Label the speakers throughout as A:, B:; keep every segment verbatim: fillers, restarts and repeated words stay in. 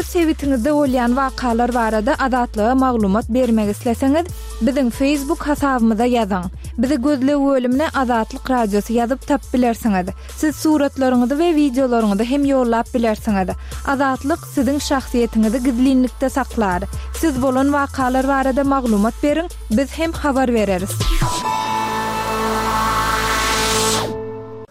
A: Öz sebitiňizde bolýan wakalar barada Azatlyga maglumat bermek isleseňiz, biziň Facebook hasabymyza ýazyň. Bizi gözleg bölümine Azatlyk Radiosy ýazyp tapyp bilersiňiz. Siz suratlaryňyzy we wideolaryňyzy hem ýollap bilersiňiz. Azatlyk siziň şahsyýetiňizi gizlinlikde saklar. Siz bolan wakalar barada maglumat beriň, biz hem habar bereris.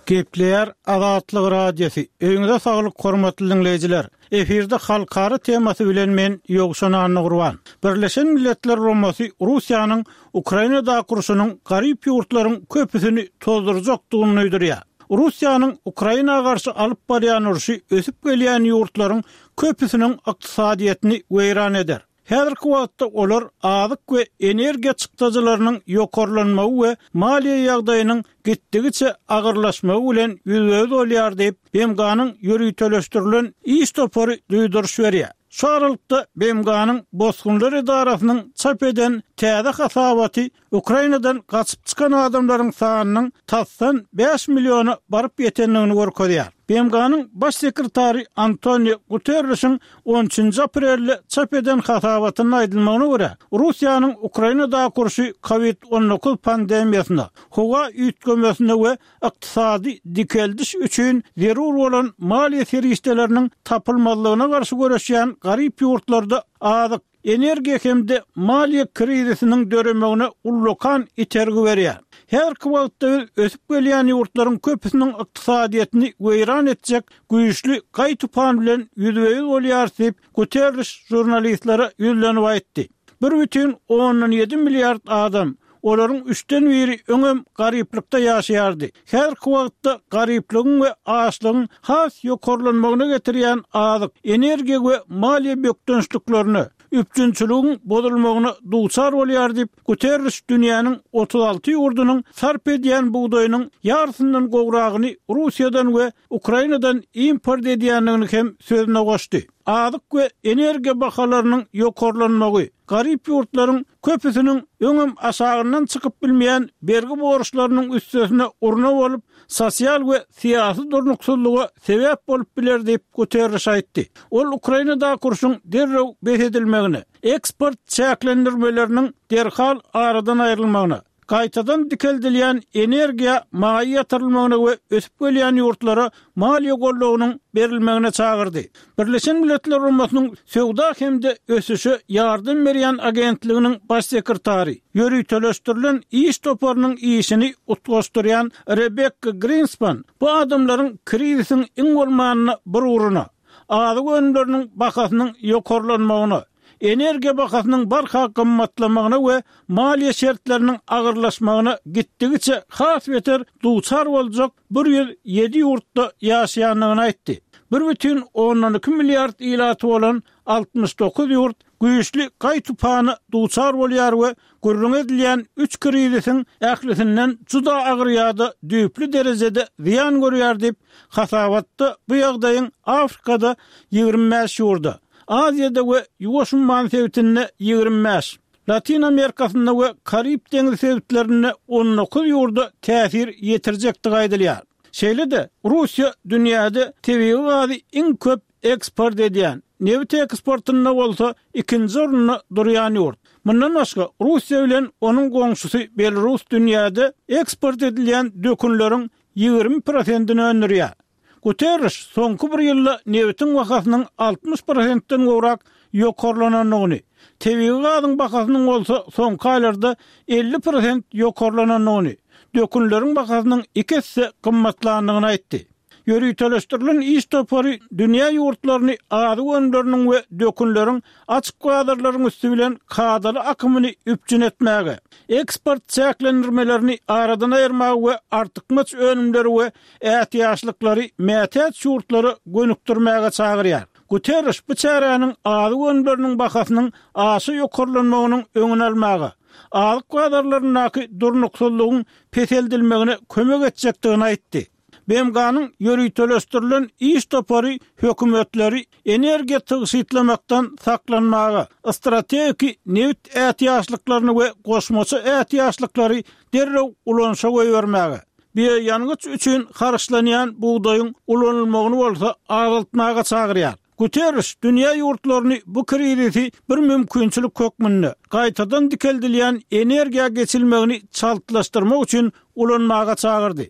B: Gepleýär Azatlyk Radiosy. Öýüňize saglyk hormatly dinleýjiler. Efirde halkara temasy bilen men Ýowşan Annagurban. Birleşen Milletler Guramasy Russiýanyň Ukrainadaky urşunyň garyp ýurtlaryň köpüsini tozdurjakdygyny duýdurýar. Russiýanyň Ukraina garşy alyp barýan urşy ösüp gelýän ýurtlaryň köpüsiniň ykdysadyýetini weýran eder. Häzirki wagtda olar azyk we energiýa çykdajylarynyň ýokarlanmagy we maliýe ýagdaýynyň gitdigiçe agyrlaşmagy bilen ýüzbe-ýüz bolýar diýip, B M G-nyň ýöriteleşdirilen iş topary duýduryş berýär. Şu aralykda B M G-nyň Bosgunlar edarasynyň çap eden täze hasabaty Ukrainadan gaçyp çykan adamlaryň sanynyň tasdan bäş milliona baryp ýetendigini görkezýär. B M G-nyň baş sekretary Antonio Guterresiň on üçünji aprelde çap eden hasabatynda aýdylmagyna görä, Russiýanyň Ukrainadaky urşy COVID on dokuz pandemiýasyna, howa üýtgemesine we ykdysady dikeldiş üçin zerur bolan maliýe serişdeleriniň tapylmazlygyna garşy göreşýän garyp ýurtlarda azyk, energiýa hem-de maliýe krizisiniň döremegine ullakan itergi berýär. Häzirki wagtda biz ösüp gelýän ýurtlaryň köpüsiniň ykdysadyýetini weýran etjek güýçli gaý-tupan bilen ýüzbe-ýüz bolýarys diýip, Guterres žurnalistlere ýüzlenip aýtdy. Bir bütin ondan ýedi milliard adam, olaryň üçden biri öňem garyplykda ýaşaýardy. Häzirki wagtda garyplygyň we açlygyň has ýokarlanmagyna getirýän azyk, energiýa we maliýe bökdençliklerine, üpjünçiligiň bozulmagyna duçar bolýar diýip, Guterres dünýäniň otuz alty ýurdunyň sarp edýän bugdaýynyň ýarysyndan gowragyny Russiýadan we Ukrainadan import edýändigini hem sözüne goşdy. Azyk we energiýa bahalarynyň ýokarlanmagy garyp ýurtlaryň köpüsiniň öňem aşagyndan çykyp bilmeýän bergi borçlarynyň üstesine urna bolup, sosial we syýasy durnuksyzlyga sebäp bolup biler diýip, Guterres aýtdy. Ol Ukrainadaky urşuň derrew bes edilmegine, eksport çäklendirmeleriniň derhal aradan aýrylmagyna, gaýtadan dikeldilýän energiýa maýa ýatyrylmagyna we ösüp gelýän ýurtlara maliýe goldawynyň berilmegine çagyrdy. Birleşen Milletler Guramasynyň Söwda hem-de ösüşe ýardam berýän agentliginiň baş sekretary, ýöriteleşdirilen iş toparynyň işini utgaşdyrýan Rebekka Grinspan bu adamlaryň krizisiň iň bolmanda bir ugruna, azyk önümleriniň bahasynyň ýokarlanmagyna, energiýa bahasynyň barha gymmatlamagyna we maliýe şertleriniň agyrlaşmagyna gitdigiçe has beter duçar boljak bir ýüz ýedi ýurtda ýaşaýandygyny aýtdy. Bir bütin ondan iki milliard ilaty bolan altmyş dokuz ýurt güýçli gaý-tupana duçar bolýar we gürrüň edilýän üç krizisiň ählisinden juda agyr ýa-da düýpli derejede zyýan görýär diýip, hasabatda bu ýagdaýyň Afrikada ýigrimi bäş ýurda, Aziýada we Ýuwaş umman sebitinde ýigrimi bäş, Latin Amerikasynda we Karib deňizi sebitlerinde on dokuz ýurda täsir ýetirjekdigi aýdylýar. Şeýle-de Russiýa dünýäde tebigy gazy iň köp eksport edýän, nebit eksportynda bolsa ikinji orunda durýan ýurt. Mundan başga Russiýa bilen onuň goňşusy Belarus dünýäde eksport edilýän dökünleriň ýigrimi prosentini öndürýär. Guterres soňky bir ýylda nebitiň bahasynyň altmyş prosentden gowrak ýokarlanandygyny, tebigy gazyň bahasynyň bolsa soňky aýlarda elli prosent ýokarlanandygyny, dökünleriň bahasynyň iki esse gymmatlandygyny aýtdy. Ýöriteleşdirilen iş topary dünýä ýurtlaryny azyk önümleriniň we dökünleriň açyk bazarlaryň üsti bilen kadaly akymyny üpjün etmäge, eksport çäklendirmelerini aradan aýyrmaga we artykmaç önümleri we ätiýaçlyklary mätäç ýurtlara gönükdirmäge çagyrýar. Guterres bu çäräniň azyk önümleriniň bahasynyň aşa ýokarlanmagynyň öňüni almaga, azyk bazarlaryndaky durnuksyzlygyň peseldilmegine kömek etjekdigini aýtdy. B M G-nyň ýöriteleşdirilen iş topary hökümetleri energiýa tygşytlamakdan saklanmaga, strategiki nebit ätiýaçlyklaryny we goşmaça ätiýaçlyklary derrew ulanyşa goýbermäge, bioýangyç üçin harçlanýan bugdaýyň ulanylmagyny bolsa azaltmaga çagyrýar. Guterriş dünýä ýurtlaryny bu krizisi bir mümkinçilik hökmünde gaýtadan dikeldilýän energiýa geçilmegini çaltlaşdyrmak üçin ulanmaga çagyrdy.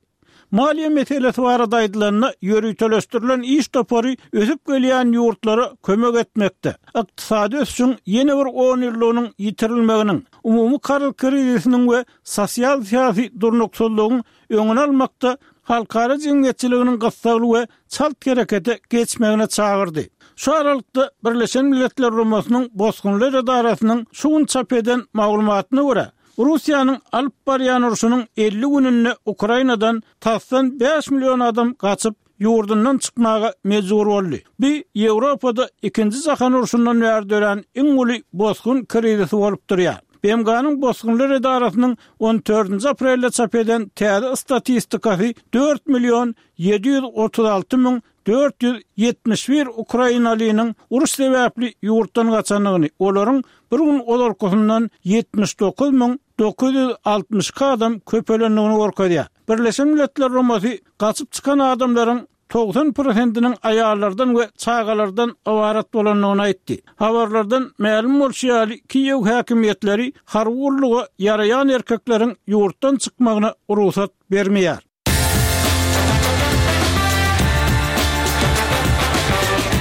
B: Maliýe meselesi barada aýdylanda, ýöriteleşdirilen iş topary ösüp gelýän ýurtlara kömek etmekde, ykdysady ösüşiň ýene bir on ýyllygynyň ýitirilmeginiň, umumy karz krizisiniň we sosial-syýasy durnuksyzlygyň öňüni almakda halkara jemgyýetçiliginiň gyssagly we çalt herekete geçmegine çagyrdy. Şu aralykda Birleşen Milletler Guramasynyň Bosgunlar edarasynyň şu gün çap eden maglumatyna görä, Russiýanyň alyp barýan urşunyň elli gününde Ukrainadan tasdan bäş million adam gaçyp, ýurdundan çykmaga mejbur boldy. Bu Ýewropada Ikinji jahan urşundan bäri dörän iň uly bosgun krizisi bolup durýar. B M G-nyň Bosgunlar edarasynyň on dördünji aprelde çap eden täze statistikasy dört million ýedi ýüz otuz alty müň dört ýüz ýetmiş bir ukrainalynyň uruş sebäpli ýurtdan gaçandygyny, olaryň bir gün ozalkysyndan ýetmiş dokuz müň dokuz ýüz altmyş iki adam köpelendigini görkezýär. Birleşen Milletler Guramasy gaçyp çykan adamlaryň togsan prosentiniň aýallardan we çagalardan ybarat bolandygyny aýtdy. Habarlardan mälim bolşy ýaly, Kiýew häkimiýetleri harby gulluga ýaraýan erkekleriň ýurtdan çykmagyna rugsat bermeýär.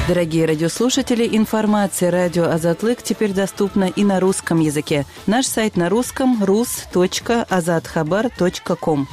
C: Дорогие радиослушатели, информация радио Азатлык теперь доступна и на русском языке. Наш сайт на русском рус точка азатхабар точка ком.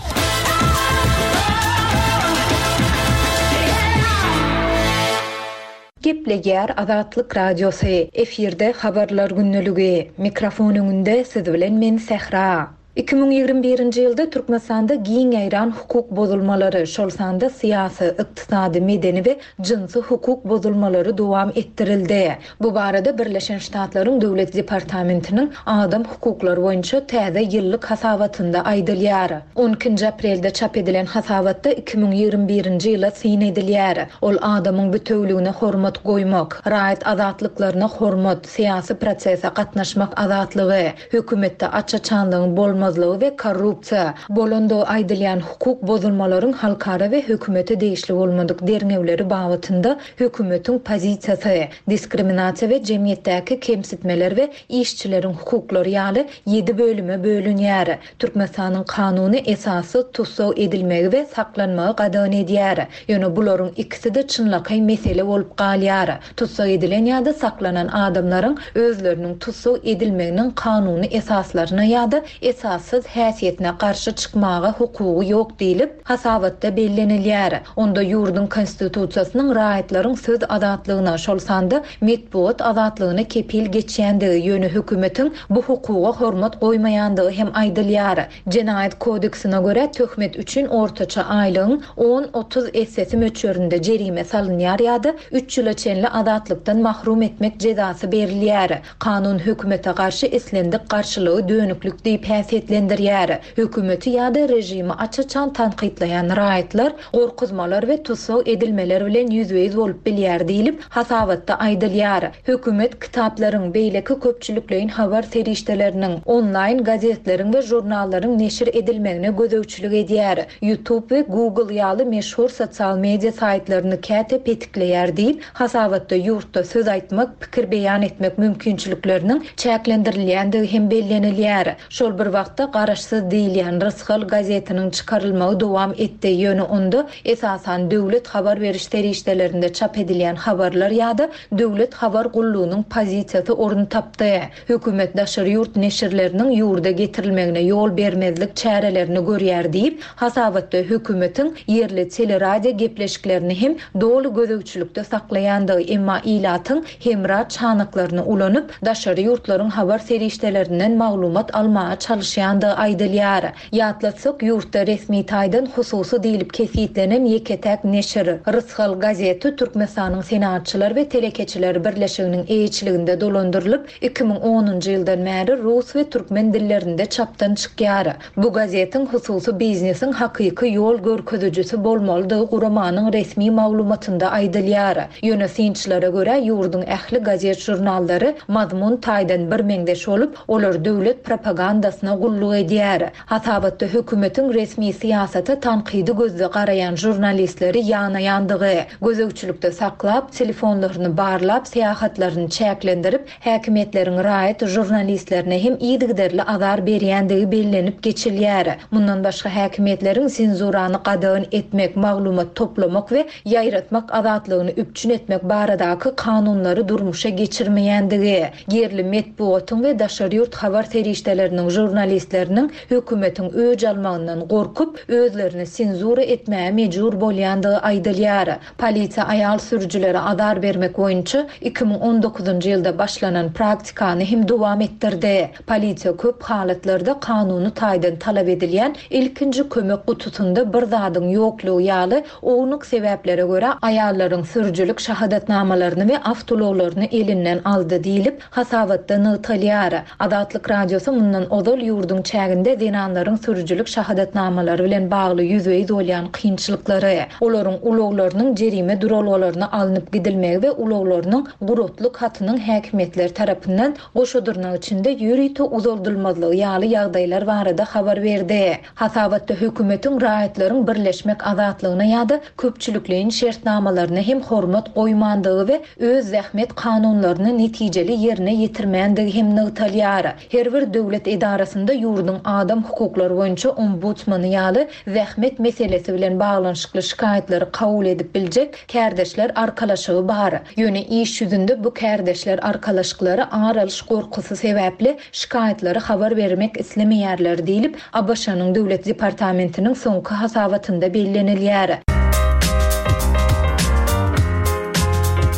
D: Gepleýär Azatlyk Radiosy. Efirde habarlar günlügi. Mikrofon öňünde siz bilen men Sähra. Iki müň ýigrimi birinji ýylda Türkmenistanda giň ýaýran hukuk bozulmalary, şol sanda syýasy, ykdysady, medeni we jynsy hukuk bozulmalary dowam etdirildi. Bu barada Birleşen Ştatlaryň Döwlet Departamentiniň adam hukuklary boýunça täze ýyllyk hasabatynda aýdylýar. on ikinji aprelde çap edilen hasabatda iki müň ýigrimi birinji ýyla syn edilýär. Ol adamyň bütewligine hormat goýmak, raýat azatlyklaryna hormat, syýasy prosese gatnaşmak azatlygy, hökümetde aç-açanlygyň bolmazlygy we korrupsiýa, bolandygy aýdylýan hukuk bozulmalaryň halkara we hökümete degişli bolmadyk derňewleri babatynda hökümetiň pozisiýasy, diskriminasiýa we jemgyýetdäki kemsitmeler we işçileriň hukuklary ýaly ýedi bölüme bölünýär. Türkmenistanyň kanuny esasy tussag edilmegi we saklanmagy gadagan edýär. Ýöne bularyň ikisi-de çynlakaý mesele bolup galýar. Tussag edilen ýa-da saklanan adamlaryň özleriniň tussag edilmeginiň kanuny esaslaryna ýa-da esassyz häsiýetine garşy çykmaga hukugy ýok diýlip hasabatda bellenilýär. Onda ýurduň konstitusiýasynyň raýatlaryň söz azatlygyna, şol sanda metbugat azatlygyna kepil geçýändigi, ýöne hökümetiň bu hukuga hormat goýmaýandygy hem aýdylýar. Jenaýat kodeksine görä töhmet üçin ortaça aýlygyň on otuz essesi möçberinde jerime salynýar ýa-da üç ýyla çenli azatlykdan mahrum etmek jezasy berilýär. Kanun hökümete garşy islendik garşylygy dönüklük diýip häsiýetlendirýär. Hökümeti ýa-da rejimi aç-açan tankytlaýan raýatlar gorkuzmalar we tussag edilmeler bilen ýüzbe-ýüz bolup bilýär diýlip hasabatda aýdylýar. Hökümet kitaplaryň, beýleki köpçülikleýin habar serişdeleriniň, onlaýn gazetleriň we žurnallaryň neşir edilmegine gözegçilik edýär. YouTube we Google ýaly meşhur sosial media saýtlaryny käte petikleýär diýip, hasabatda ýurtda söz aýtmak, pikir beýan etmek mümkinçilikleriniň çäklendirilýändigi hem bellenilýär. Şol bir wagtda garaşsyz diýilýän Rysgal gazetiniň çykarylmagy dowam etdi. Ýöne onda esasan döwlet habar beriş serişdelerinde çap edilýän habarlar ýa-da döwlet habar gullugynyň pozisiýasy orun tapdy. Hökümet daşary ýurt neşirleriniň ýurda getirilmegine ýol bermezlik çärelerini görýär diýip, hasabatda hökümetiň ýerli teleradio gepleşiklerini hem doly gözegçilikde saklaýandygy, emma ilatyň hemra çanaklaryny ulanyp, daşary ýurtlaryň habar serişdelerinden maglumat almaga çalyşýandygy aýdylýar. Ýatlatsak, ýurtda resmi taýdan hususy diýlip kesitlenen ýeke-täk neşir Rysgal gazeti Türkmenistanyň Senatçylar we Telekeçiler Birleşiginiň eýeçiliginde dolandyrylyp, iki müň onunjy ýyldan bäri rus we türkmen dillerinde çapdan çykýar. Bu gazetiň hususy biznesiň hakyky ýol görkezijisi bolmalydygy guramanyň resmi maglumatynda aýdylýar. Ýöne synçylara görä ýurduň ähli gazet žurnallary mazmun taýdan bir meňzeş bolup, olar döwlet propagandasyna gulluk gulluk edýär. Hasabatda hökümetiň resmi syýasata tankydy gözde garaýan žurnalistleri ýanaýandygy, gözegçilikde saklap, telefonlaryny barlap, syýahatlaryny çäklendirip, häkimiýetleriň raýat žurnalistlerine hem yzygiderli azar berýändigi bellenip geçilýär. Mundan başga häkimiýetleriň senzurany gadagan etmek, maglumat toplamak we ýaýratmak azatlygyny üpjün etmek baradaky kanunlary durmuşa geçirmeýändigi, ýerli metbugatyň we daşary ýurt habar serişdeleriniň žurnalistleriniň hökümetiň öç almagyndan gorkup, özlerini senzura etmäge mejbur bolýandygy aýdylýar. Polisiýa aýal sürüjilere azar bermek boýunça iki müň on dokuzynjy ýylda başlanan praktikany hem dowam etdirdi. Polisiýa köp halatlarda kanuny taýdan talap edilýän ilkinji kömek gutusynda bir zadyň ýoklugy ýaly ownuk sebäplere görä aýallaryň sürüjilik şahadatnamalaryny we awtoulaglaryny elinden aldy diýlip hasabatda nygtalýar. Azatlyk Radiosy mundan ozal ýurduň çäginde zenanlaryň sürüjilik şahadatnamalary bilen bagly ýüzbe-ýüz bolýan kynçylyklary, olaryň ulaglarynyň jerime duralgalaryna alnyp gidilmegi we ulaglarynyň guratlyk hatynyň häkimiýetler tarapyndan goşadyrnak içinde ýörite uzaldylmazlygy ýaly ýagdaýlar barada habar berdi. Hasabatda hökümetiň raýatlaryň birleşmek azatlygyna ýa-da köpçülikleýin şertnamalaryna hem hormat goýmandygy we öz zähmet kanunlaryny netijeli ýerine ýetirmändigi hem nygtalýar. Her bir döwlet edarasynda ýurduň adam hukuklary boýunça ombudsmany ýaly zähmet meselesi bilen baglanyşykly şikaýatlary kabul edip biljek kärdeşler arkalaşygy bar. Ýöne iş ýüzünde bu kärdeşler arkalaşyklary ar alyş gorkusy sebäpli şikaýatlary habar bermek islemeýärler diýlip, A B Ş-nyň Döwlet Departamentiniň soňky hasabatynda bellenilýär.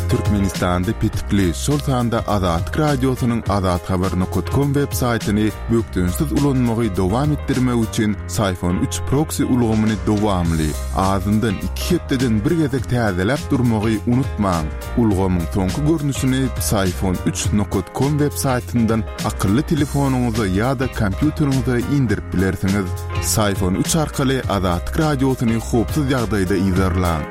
E: Türkmenistanda petikli, şol sanda Azatlyk Radiosynyň azathabar nokta com web saýtyny bökdençsiz ulanmagy dowam etdirmek üçin Syfon üç proxy ulgamyny dowamly, azyndan iki hepdeden bir gezek täzeläp durmagy unutmaň. Ulgamyň soňky görnüşini Syfon üç nokta com web saýtyndan akylly telefonyňyza ýa-da kompýuteriňize indirip bilersiňiz. Syfon üç arkaly Azatlyk Radiosyny howpsuz ýagdaýda yzarlaň.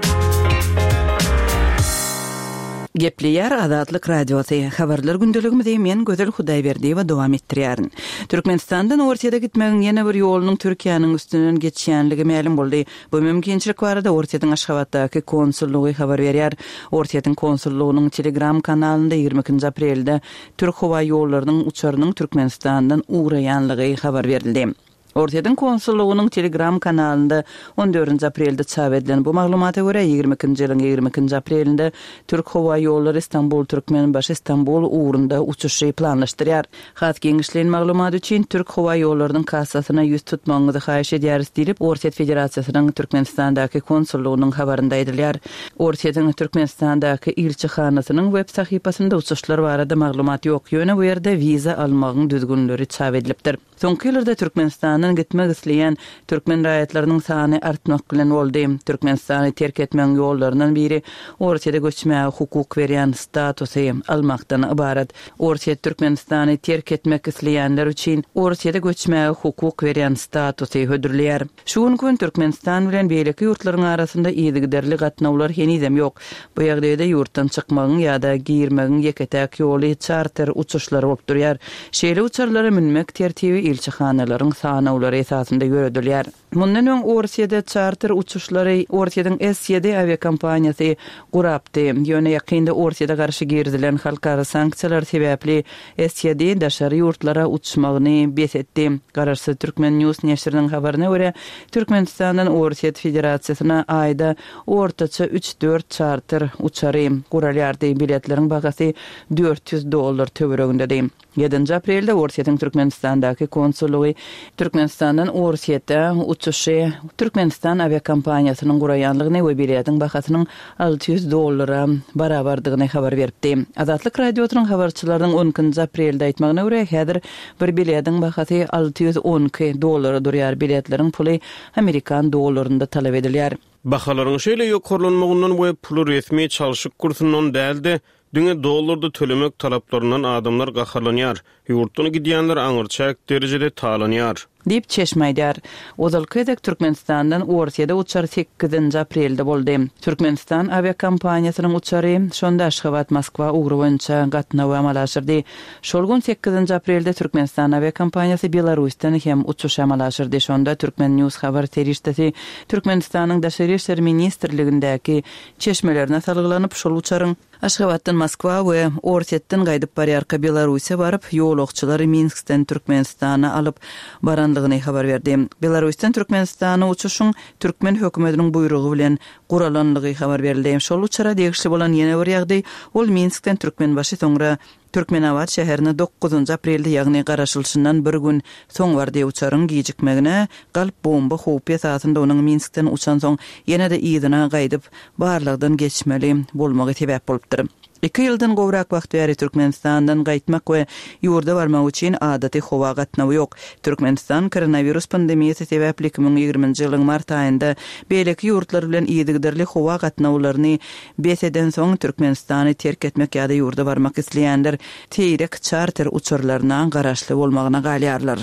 C: Gepleýär Azatlyk Radiosy. Habarlar gündeligimizi men Gözel Hudaýberdiýewa dowam etdirýärin. Türkmenistandan Orsýete gitmegiň ýene bir ýolunyň Türkiýäniň üstünden geçýänligi mälim boldy. Bu mümkinçilik barada Orsýetiň Aşgabatdaky konsullygy habar berýär. Orsýetiň konsullygynyň Telegram kanalynda ýigrimi ikinji aprelde Türk howa ýollarynyň uçarynyň Türkmenistandan ugraýanlygy habar berildi. Orsýetiň konsullygynyň Telegram kanalynda on dördünji aprelde çap edilen bu maglumata görä ýigrimi ikinji ýylyň ýigrimi ikinji aprelinde Türk howa ýollary Istanbul Türkmenbaşy Istanbul ugrunda uçuşy planlaşdyrýar. Has giňişleýin maglumat üçin Türk howa ýollarynyň kassasyna ýüz tutmagyňyzy haýyş edýäris diýlip Orsýet Federasiýasynyň Türkmenistandaky konsullygynyň habarynda aýdylýar. Orsýetiň Türkmenistandaky ilçihanasynyň web sahypasynda uçuşlar barada maglumat ýok. Ýöne bu ýerde wiza almagyň düzgünleri çap edilipdir. Soňky ýyllarda Türkmenistandan gitmek isleýän türkmen raýatlarynyň sany artmak bilen boldy. Türkmenistany terk etmegiň ýollaryndan biri Orsýete göçmäge hukuk berýän statusy almakdan ybarat. Orsýet Türkmenistany terk etmek isleýänler üçin Orsýete göçmäge hukuk berýän statusy hödürleýär. Şu gün gün Türkmenistan bilen beýleki ýurtlaryň arasynda yzygiderli gatnawlar henizem ýok. Bu ýagdaýda ýurtdan çykmagyň ýa-da girmegiň ýeke-täk ýoly çarter uçuşlary bolup durýar. Şeýle uçarlara münmek tertibi ilçihanalaryň sanawlary esasynda ýöredilýär. Mundan öň Orsýede çarter uçuşlary Orsýediň S ýedi awiakompaniýasy gurapdy. Ýöne ýakynda Orsýede garşy girizilen halkara sanksiýalar sebäpli S ýedi daşary ýurtlara uçmagyny bes etdi. Garaşsyz Türkmen News neşiriniň habaryna görä Türkmenistandan Orsýet Federasiýasyna aýda ortaça üç dört çarter uçary guralýardy. Biletleriň bahasy dört ýüz dollar töweregindedi. Ýedinji aprelde Orsýetiň Türkmenistandaky konsullygy Türkmenistandan Orsýete uçuşy Türkmenistan awiakompaniýasynyň guraýanlygyny we biletiň bahasynyň alty ýüz dollara barabardygyny habar beripdi. Azatlyk Radiosynyň habarçylarynyň on ikinji aprelde aýtmagyna görä häzir bir biletiň bahasy alty ýüz on iki dollara durýar. Biletleriň puly Amerikan dollarynda talap edilýär.
F: Bahalaryň şeýle ýokarlanmagyndan we puly resmi çalşyk kursundan däl-de, diňe dollarda tölemek talaplaryndan adamlar gaharlanýar. Ýurtdan gidýänler aňyrçäk derejede talanýar.
C: Diýip, çeşme aýdýar. Ozalky gezek Türkmenistandan Orsýede uçar sekizinji aprelde boldy. Türkmenistan awiakompaniýasynyň uçary şonda Aşgabat-Moskwa ugry boýunça gatnawy amala aşyrdy. Şol gün sekizinji aprelde Türkmenistan awiakompaniýasy Belarusdan hem uçuş amala aşyrdy. Şonda Türkmen News habar serişdesi Türkmenistanyň Daşary işler ministrligindäki çeşmelerine salgylanyp, şol uçaryň Aşgabatdan Moskwa we Orsýetden gaýdyp barýarka Belarusa baryp, ýolagçylary Minskden Türkmenistana alyp baranlygyny habar berdi. Belarusdan Türkmenistana uçuşyň türkmen hökümetiniň buýrugy bilen guralanlygy habar berildi. Şol uçara degişli bolan ýene bir ýagdaý, ol Minskden Türkmenbaşy soňra Türkmenabat şäherine dokuzynjy aprelde, ýagny garaşylyşyndan bir gün soň bardy. Uçaryň gijikmegine galp bomba howpy esasynda onuň Minskden uçansoň ýene-de yzyna gaýdyp barlagdan geçmeli bolmagy sebäp bolupdyr. Iki ýyldan gowrak wagt bäri Türkmenistandan gaýtmak we ýurda barmak üçin adaty howa gatnawy ýok. Türkmenistan koronawirus pandemiýasy sebäpli iki müň ýigriminji ýylyň mart aýynda beýleki ýurtlar bilen yzygiderli howa gatnawlaryny bes edensoň Türkmenistany terk etmek ýa-da ýurda barmak isleýänler seýrek çarter uçarlaryna garaşly bolmagyna galýarlar.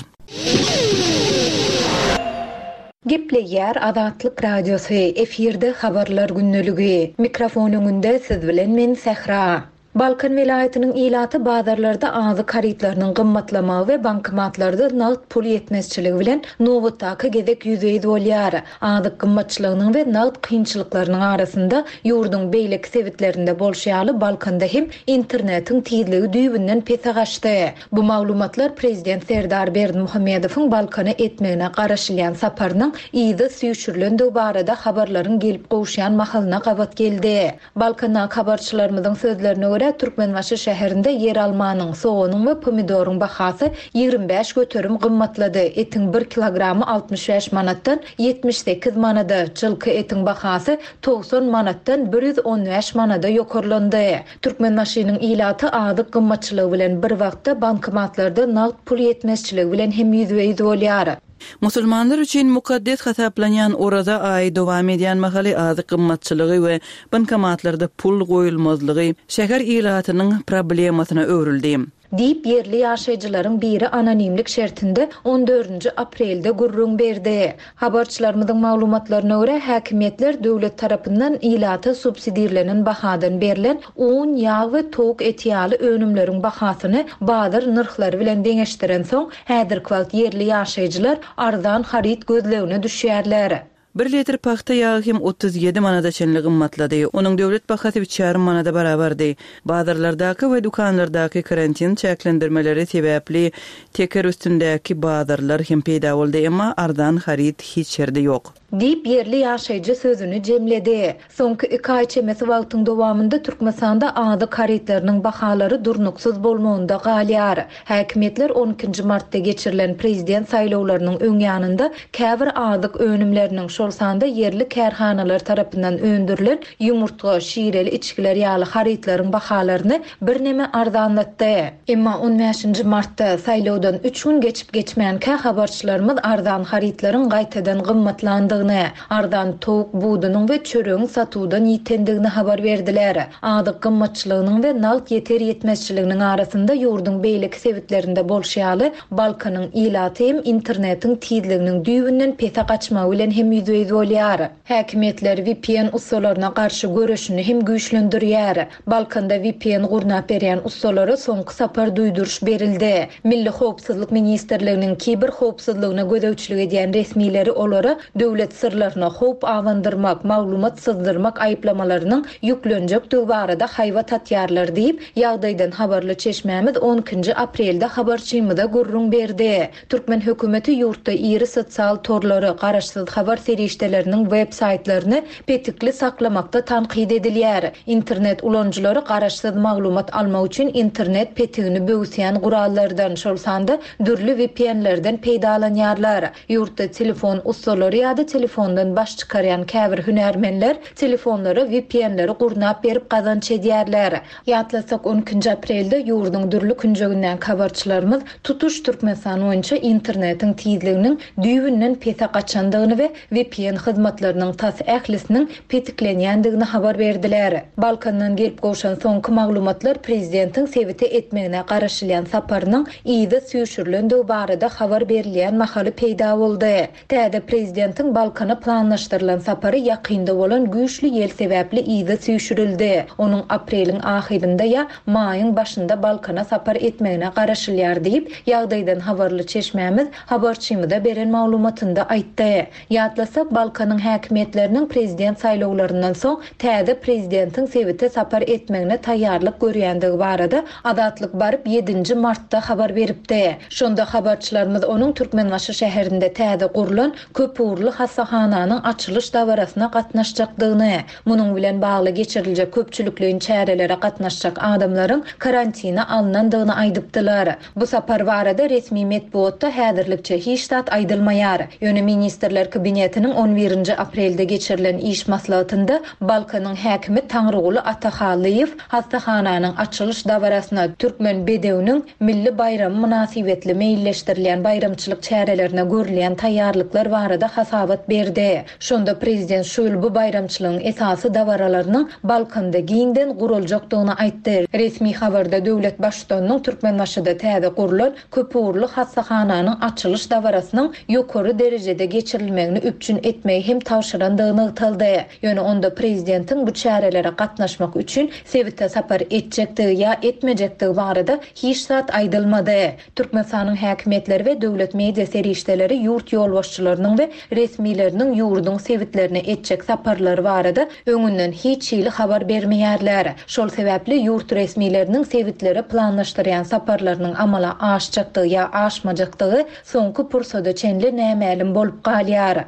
D: Gepleýär Azatlyk Radiosy, efirde habarlar gündeligi. Mikrofon öňünde siz bilen men Sähra. Balkan welaýatynyň ilaty bazarlarda azyk harytlarynyň gymmatlamagy we bankomatlarda nagt pul ýetmezçiligi bilen nobatdaky gezek ýüzbe-ýüz bolýar. Azyk gymmatçylygynyň we nagt kynçylyklarynyň arasynda ýurduň beýleki sebitlerinde bolşy ýaly Balkanda hem internetiň tizligi düýbünden pese gaçdy. Bu maglumatlar Prezident Serdar Berdimuhamedowyň Balkana etmegine garaşylýan saparynyň yzy süýşürilendigi barada habarlaryň gelip gowuşýan mahalyna gabat geldi. Balkandaky habarçylarymyzyň sözlerine görä Türkmenbaşy şäherinde ýer almanyň, soganyň we pomidoryň bahasy ýigrimi bäş göterim gymmatlady. Etiň bir kilogramy altmyş bäş manatdan ýetmiş sekiz manada, çylky etiň bahasy togsan manatdan bir ýüz on bäş manada ýokarlandy. Türkmenbaşynyň ilaty azyk gymmatçylygy bilen bir wagtda bankomatlarda nagt pul ýetmezçiligi bilen hem ýüzbe-ýüz bolýar.
C: Musulmanlar üçin mukaddes hasaplanýan Oraza aýy dowam edýän mahaly azyk gymmatçylygy we bankomatlarda pul goýulmazlygy şäher ilatynyň problemasyna öwrüldi.
D: Diýip ýerli ýaşaýjylaryň biri anonimlik şertinde on dördünji aprelde gürrüň berdi. Habarçylarymyzyň maglumatlaryna görä häkimiýetler döwlet tarapyndan ilata subsidirlenen bahadan berlen un, ýag we towuk eti ýaly önümleriň bahasyny bazar nyrhlary bilen deňeşdiren soň häzirki wagt ýerli ýaşaýjylar arzan haryt gözlegine düşýärler.
C: Bir litr pagta ýagy hem otuz ýedi manada çenli gymmatlady. Onuň döwlet bahasy üç ýarym manada barabardy. Bazarlardaky we dükanlardaky karantin çäklendirmeleri sebäpli teker üstündäki bazarlar hem peýda boldy, emma arzan haryt hiç ýerde ýok.
D: Diýip ýerli ýaşaýjy sözüni jemledi. Soňky iki aý çemesi wagtyň dowamynda Türkmenistanda azyk harytlarynyň bahalary durnuksyz bolmagynda galýar. Häkimiýetler on ikinji martda geçirilen prezident saýlawlarynyň öň ýanynda käbir azyk önümleriniň, şol sanda ýerli kärhanalar tarapyndan öndürilen ýumurtga, şireli içgiler ýaly harytlaryň bahalaryny birneme arzanlatdy. Emma on bäşinji martda saýlawdan üç gün geçip geçmänkä habarçylarymyz arzan harytlaryň gaýtadan gymmatlandygyny, arzan towuk budunyň we çöregiň satuwdan ýitendigini habar berdiler. Azyk gymmatçylygynyň we nagt ýeter ýetmezçiliginiň arasynda ýurduň beýleki sebitlerinde bolşy ýaly Balkanyň ilaty hem internetiň tizliginiň düýbünden pese gaçmagy bilen hem ýüzbe-ýüz bolýar. Häkimiýetler V P N ussalaryna garşy göreşini hem güýçlendirýär. Balkanda V P N gurnap berýän ussalara soňky sapar duýduryş berildi. Milli Howpsuzlyk Ministrliginiň kiber howpsuzlygyna gözegçilik edýän resmileri olara döwlet syrlaryna howp awandyrmak, maglumat syzdyrmak aýyplamalarynyň ýüklenjekdigi barada haýbat atýarlar diýip, ýagdaýdan habarly çeşmämiz on ikinji aprelde habarçymyza gürrüň berdi. Türkmen hökümeti ýurtda iri sosial torlary, garaşsyz habar serişdeleriniň web saýtlaryny petikli saklamakda tankyt edilýär. Internet ulanyjylary garaşsyz maglumat almak üçin internet petigini böwüsýän gurallardan, şol sanda dürli V P N-lerden peýdalanýarlar. Ýurtda telefon ussalary ýa-da telefondan baş çykarýan käbir hünärmenler telefonlara V P N-leri gurnap berip gazanç edýärler. Ýatlasak, on ikinji aprelde ýurduň dürli künjeginden habarçylarymyz tutuş Türkmenistan boýunça internetiň tizliginiň düýbünden pese gaçandygyny we V P N hyzmatlarynyň tas ählisiniň petiklenýändigini habar berdiler. Balkandan gelip gowşan soňky maglumatlar prezidentiň sebite etmegine garaşylýan saparynyň yza süýşürilendigi barada habar berilýän mahaly peýda boldy. Täze prezidentiň Balkana planlaşdyrylan sapary ýakynda bolan güýçli ýel sebäpli yza süýşürildi. Onuň apreliň ahyrynda ýa maýyň başynda Balkana sapar etmegine garaşylýar diýip, ýagdaýdan habarly çeşmämiz habarçymyza beren maglumatynda aýtdy. Ýatlasak, Balkanyň häkimiýetleriniň prezident saýlawlaryndan soň täze prezidentiň sebite sapar etmegine taýýarlyk görýändigi barada Azatlyk baryp ýedinji martda habar beripdi. Şonda habarçylarymyz onuň Türkmenbaşy şäherinde täze gurlan köpugurly hassahananyň açylyş dabarasyna gatnaşjakdygyny, munuň bilen bagly geçiriljek köpçülikleýin çärelere gatnaşjak adamlaryň karantina alnandygyny aýdypdylar. Bu sapar barada resmi metbugatda häzirlikçe hiç zat aýdylmaýar. Ýöne Ministrler Kabinetiniň on birinji aprelde geçirilen iş maslahatynda Balkanyň häkimi Taňryguly Atahalyýew hassahananyň açylyş dabarasyna Türkmen bedewiniň milli baýramy mynasybetli meýilleşdirilýän baýramçylyk çärelerine görülýän taýýarlyklar barada hasabat berdi. Şonda prezident şu ýyl bu baýramçylygyň esasy dabaralarynyň Balkanda giňden guruljakdygyny aýtdy. Resmi habarda döwlet baştutanynyň Türkmenbaşyda täze gurlan köpugurly hassahananyň açylyş dabarasynyň ýokary derejede geçirilmegini üpjün etmegi hem tabşyrandygy nygtaldy. Ýöne onda prezidentiň bu çärelere gatnaşmak üçin sebite sapar etjekdigi ýa etmejekdigi barada hiç zat aýdylmady. Türkmenistanyň häkimiýetleri we döwlet media serişdeleri ýurt ýolbaşçylarynyň we resmileriniň ýurduň sebitlerine etjek saparlary barada öňünden hiç hili habar bermeýärler. Şol sebäpli ýurt resmileriniň sebitlere planlaşdyrýan saparlarynyň amala aşjakdygy ýa aşmajakdygy soňky pursada çenli nämälim bolup galýar.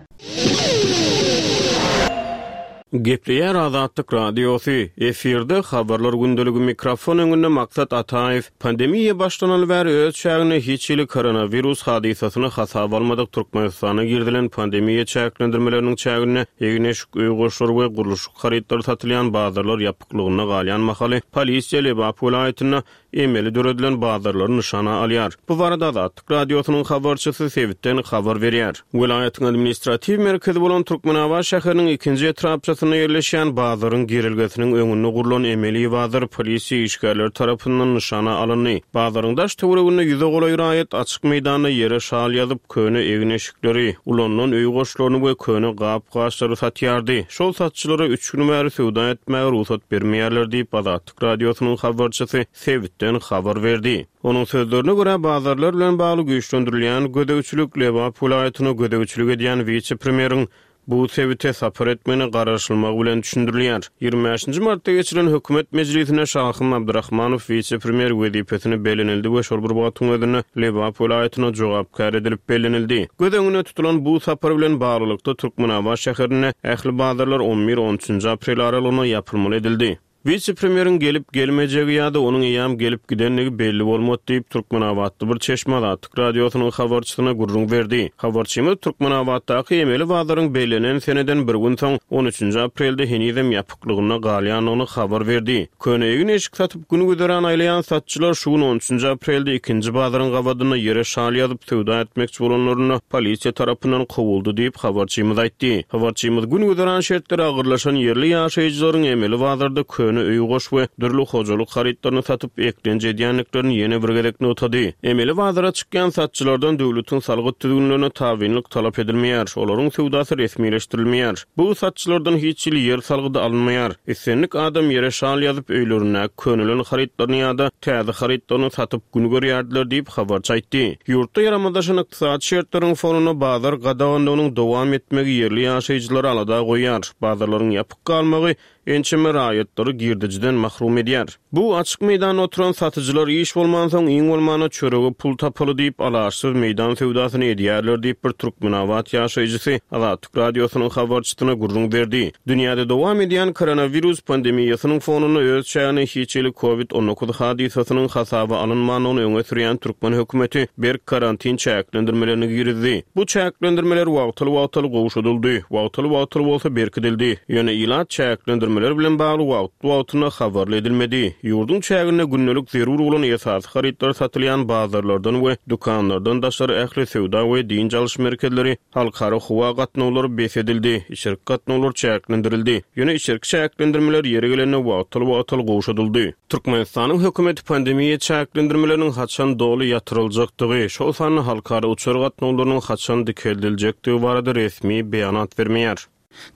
F: Gepleýär Azatlyk Radiosy. Efirde habarlar gündeligi, mikrofon öňünde Maksat Ataýew. Pandemiýa başlanaly bäri öz çäginde hiç hili koronawirus hadysasyny hasaba almadyk Türkmenistana girizilen pandemiýa çäklendirmeleriniň çäginde egin-eşik, öý goşlary we gurluşyk harytlary satylýan bazarlar ýapyklygynda galýan mahaly polisiýa Lebap welaýatynda emeli döredilen bazarlary nyşana alýar. Bu barada Azatlyk Radiosynyň habarçysy sebitden habar berýär. Welaýatyň administratiw merkezi bolan Türkmenabat şäheriniň ikinji etrapçasynda ýerleşýän bazaryň girelgesiniň öňünde gurlan emeli bazar polisiýa işgärleri tarapyndan nyşana alyndy. Bazaryň daş töwereginde ýüze golaý raýat açyk meýdanda ýere şal ýazyp, köne egin-eşikleri, ulanylan öý goşlaryny we köne gap-gaçlary satýardy. Şol satçylara üç gün bäri söwda etmäge rugsat bermeýärler diýip, Azatlyk Radiosynyň habarçysy sebitden habar berdi. Onuň sözlerine görä, bazarlar bilen bagly güýçlendirilýän gözegçilik Lebap welaýatyna gözegçilik edýän wise-premýeriň bu sebite sapar etmegine garaşylmagy bilen düşündirilýär. Ýigrimi bäşinji martda geçirilen hökümet mejlisinde Şahym Abdurrahmanow wise-premýer wezipesine bellenildi we şol bir wagtyň özünde Lebap welaýatyna jogapkär edilip bellenildi. Göz öňünde tutulan bu sapar bilen baglylykda Türkmenabat şäherinde ähli bazarlar on bir on üçünji aprel aralygynda ýapylmaly edildi. Wise-premýeriň gelip gelmejegi ýa-da onuň eýýäm gelip gidendigi belli bolmady diýip, Türkmenabatly bir çeşme Azatlyk Radiosynyň habarçysyna gürrüň berdi. Habarçymyz Türkmenabatdaky emeli bazaryň bellenen seneden bir gün soň on üçünji aprelde henizem ýapyklygynda galýandygyny habar berdi. Köne egin-eşik satyp gün güzeran aýlaýan satçylar şu gün on üçünji aprelde ikinji bazaryň gabadynda ýere şal ýazyp söwda etmekçi bolanlarynda polisiýa tarapyndan kowuldy diýip, habarçymyz aýtdy. Habarçymyz gün güzeran şertleri agyrlaşan ýerli ýaşaýjylaryň emeli bazarda köne öý goş we dürli hojalyk harytlaryny satyp eklenç edýändiklerini ýene bir gezek nygtady. Emeli bazara çykýan satçylardan döwletiň salgyt düzgünlerine tabynlyk talap edilmeýär. Olaryň söwdasy resmileşdirilmeýär. Bu satçylardan hiç hili ýer salgydy alynmaýar. Islendik adam ýere şal ýazyp öýlerindäki könelen harytlaryny ýa-da täze harytlaryny satyp gün görýärdiler diýip habarçy aýtdy. Ýurtda ýaramazlaşan ykdysady şertleriň fonunda bazar gadaganlygynyň dowam etmegi ýerli ýaşaýjylary alada goýýar. Bazarlaryň ýapyk galmagy ençeme raýatlary girdejiden mahrum edýär. Bu açyk meýdanda oturan satyjylar iş bolmansoň, iň bolmanda çörege pul tapaly diýip, alaçsyz meýdan söwdasyny edýärler diýip, bir Türkmenabat ýaşaýjysy Azatlyk Radiosynyň habarçysyna gürrüň berdi. Dünýäde dowam edýän koronawirus pandemiýasynyň fonunda öz çäginde hiç hili Covid on dokuz hadysasynyň hasaba alynmandygyny öňe sürýän türkmen hökümeti berk karantin çäklendirmelerini girizdi. Bu çäklendirmeler wagtal-wagtal gowşadyldy, wagtal-wagtal bolsa berkidildi. Ýöne ilat çäklendirmeler bilen bagly wagt-wagtynda habarly edilmedi. Ýurduň çäginde gündelik zerur bolan esasy harytlar satylýan bazarlardan we dükanlardan daşary ähli söwda we dynç alyş merkezleri, halkara howa gatnawlary bes edildi, içerki gatnawlar çäklendirildi. Ýöne içerki çäklendirmeler ýeri gelende wagtal-wagtal gowşadyldy. Türkmenistanyň hökümeti pandemiýa çäklendirmeleriniň haçan doly ýatyryljakdygy, şol sanda halkara uçar gatnawlarynyň haçan dikeldiljekdigi barada resmi beýanat bermeýär.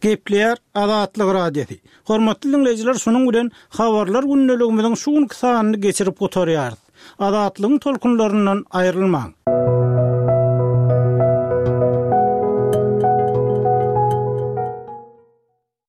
B: Gepleýär Azatlyk Radiosy. Hormatly dinleýjiler, şunuň bilen habarlar gündeligimiziň şu günki sanyny geçirip gutarýarys. Azatlygyň tolkunlaryndan aýrylmaň.